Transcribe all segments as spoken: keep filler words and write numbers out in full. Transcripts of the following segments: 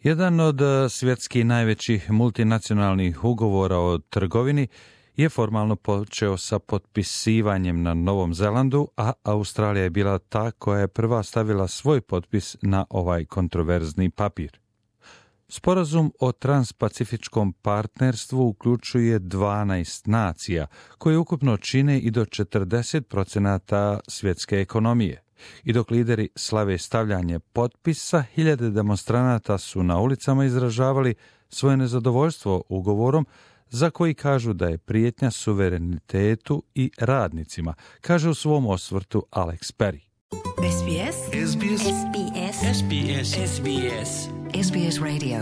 Jedan od svjetskih najvećih multinacionalnih ugovora o trgovini je formalno počeo sa potpisivanjem na Novom Zelandu, a Australija je bila ta koja je prva stavila svoj potpis na ovaj kontroverzni papir. Sporazum o transpacifičkom partnerstvu uključuje dvanaest nacija, koje ukupno čine i do četrdeset procenata svjetske ekonomije. I dok lideri slave stavljanje potpisa, hiljade demonstranata su na ulicama izražavali svoje nezadovoljstvo ugovorom, za koji kažu da je prijetnja suverenitetu i radnicima, kaže u svom osvrtu Alex Perry. S B S S B S S B S S B S S B S S B S Radio.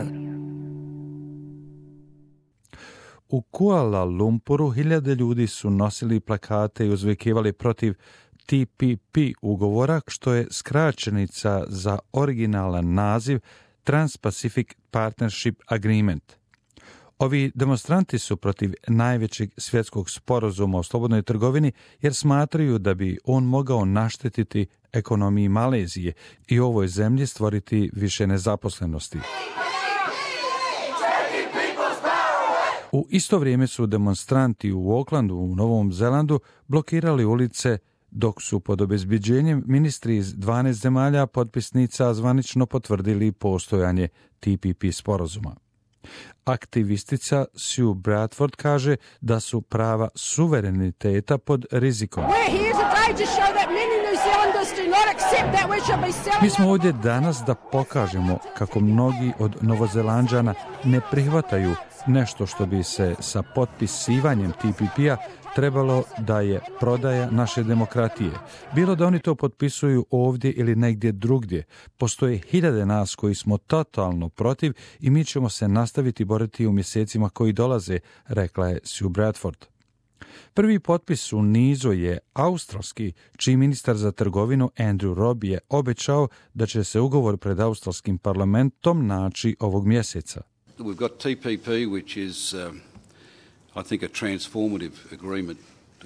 U Kuala Lumpuru hiljade ljudi su nosili plakate i uzvikivali protiv T P P ugovora, što je skraćenica za originalan naziv Trans-Pacific Partnership Agreement. Ovi demonstranti su protiv najvećeg svjetskog sporazuma o slobodnoj trgovini jer smatraju da bi on mogao naštetiti ekonomiji Malezije i ovoj zemlji stvoriti više nezaposlenosti. U isto vrijeme su demonstranti u Aucklandu u Novom Zelandu blokirali ulice, dok su pod obezbeđenjem ministri iz dvanaest zemalja potpisnica zvanično potvrdili postojanje T P P sporazuma. Aktivistica Sue Bradford kaže da su prava suvereniteta pod rizikom. Mi smo ovdje danas da pokažemo kako mnogi od Novozelanđana ne prihvataju nešto što bi se sa potpisivanjem T P P-a trebalo da je prodaja naše demokratije. Bilo da oni to potpisuju ovdje ili negdje drugdje, postoje hiljade nas koji smo totalno protiv i mi ćemo se nastaviti boriti u mjesecima koji dolaze, rekla je Sue Bradford. Prvi potpis u nizu je australski, čiji ministar za trgovinu Andrew Robb je obećao da će se ugovor pred australskim parlamentom naći ovog mjeseca. We've got T P P, which is, um, I think, a transformative agreement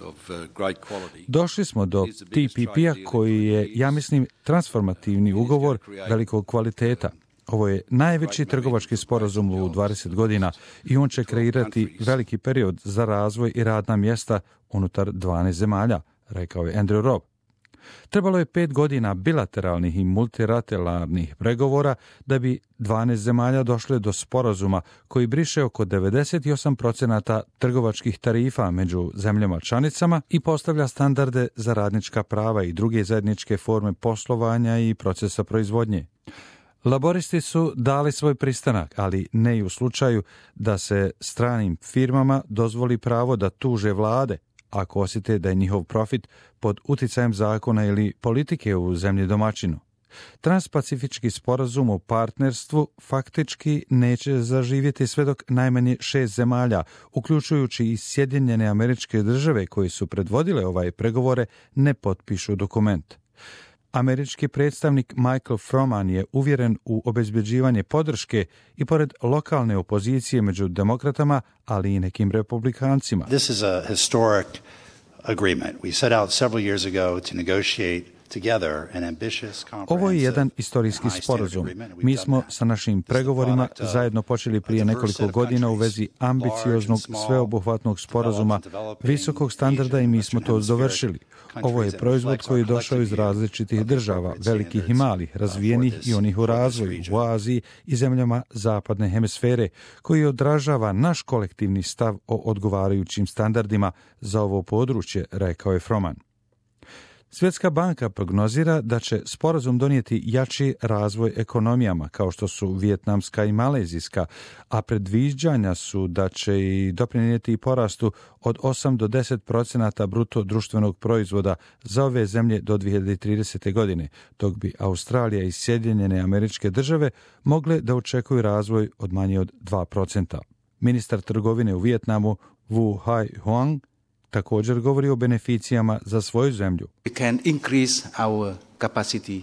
of uh, great quality. Došli smo do T P P-a koji je, ja mislim, transformativni ugovor velikog kvaliteta. Ovo je najveći trgovački sporazum u dvadeset godina i on će kreirati veliki period za razvoj i radna mjesta unutar dvanaest zemalja, rekao je Andrew Robb. Trebalo je pet godina bilateralnih i multilateralnih pregovora da bi dvanaest zemalja došle do sporazuma koji briše oko devedeset osam procenata trgovačkih tarifa među zemljama članicama i postavlja standarde za radnička prava i druge zajedničke forme poslovanja i procesa proizvodnje. Laboristi su dali svoj pristanak, ali ne i u slučaju da se stranim firmama dozvoli pravo da tuže vlade ako osjete da je njihov profit pod uticajem zakona ili politike u zemlji domaćinu. Transpacifički sporazum o partnerstvu faktički neće zaživjeti sve dok najmanje šest zemalja, uključujući i Sjedinjene Američke Države koji su predvodile ovaj pregovore, ne potpišu dokument. Američki predstavnik Michael Froman je uvjeren u obezbeđivanje podrške i pored lokalne opozicije među demokratama, ali i nekim republikancima. This is a historic agreement. We set out several years ago to negotiate together an ambitious, Ovo je jedan istorijski sporazum. Mi smo sa našim pregovorima zajedno počeli prije nekoliko godina u vezi ambicioznog, sveobuhvatnog sporazuma visokog standarda i mi smo to dovršili. Ovo je proizvod koji je došao iz različitih država, velikih i malih, razvijenih i onih u razvoju, u Aziji i zemljama zapadne hemisfere, koji odražava naš kolektivni stav o odgovarajućim standardima za ovo područje, rekao je Froman. Svjetska banka prognozira da će sporazum donijeti jači razvoj ekonomijama kao što su vijetnamska i malezijska, a predviđanja su da će i doprinijeti i porastu od osam do deset procenata bruto društvenog proizvoda za ove zemlje do dvije hiljade tridesete. godine, dok bi Australija i Sjedinjene Američke Države mogle da očekuju razvoj od manje od dva procenta. Ministar trgovine u Vijetnamu Wu Hai Huang također govori o beneficijama za svoju zemlju. We can increase our capacity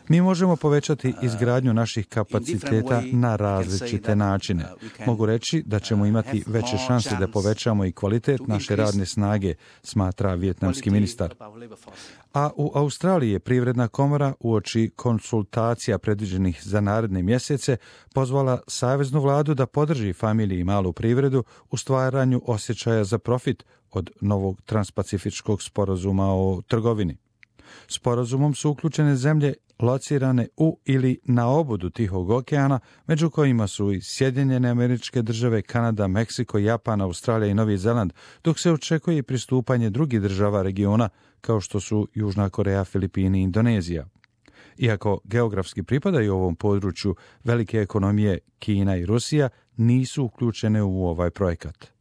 Mi možemo povećati izgradnju naših kapaciteta na različite načine. Mogu reći da ćemo imati veće šanse da povećamo i kvalitet naše radne snage, smatra vijetnamski ministar. A u Australiji je Privredna komora uoči konsultacija predviđenih za naredne mjesece pozvala saveznu vladu da podrži familiji i malu privredu u stvaranju osjećaja za profit od novog transpacifičkog sporazuma o trgovini. Sporazumom su uključene zemlje locirane u ili na obodu Tihog okeana, među kojima su i Sjedinjene Američke Države, Kanada, Meksiko, Japan, Australija i Novi Zeland, dok se očekuje i pristupanje drugih država regiona, kao što su Južna Koreja, Filipini i Indonezija. Iako geografski pripadaju ovom području, velike ekonomije Kina i Rusija nisu uključene u ovaj projekat.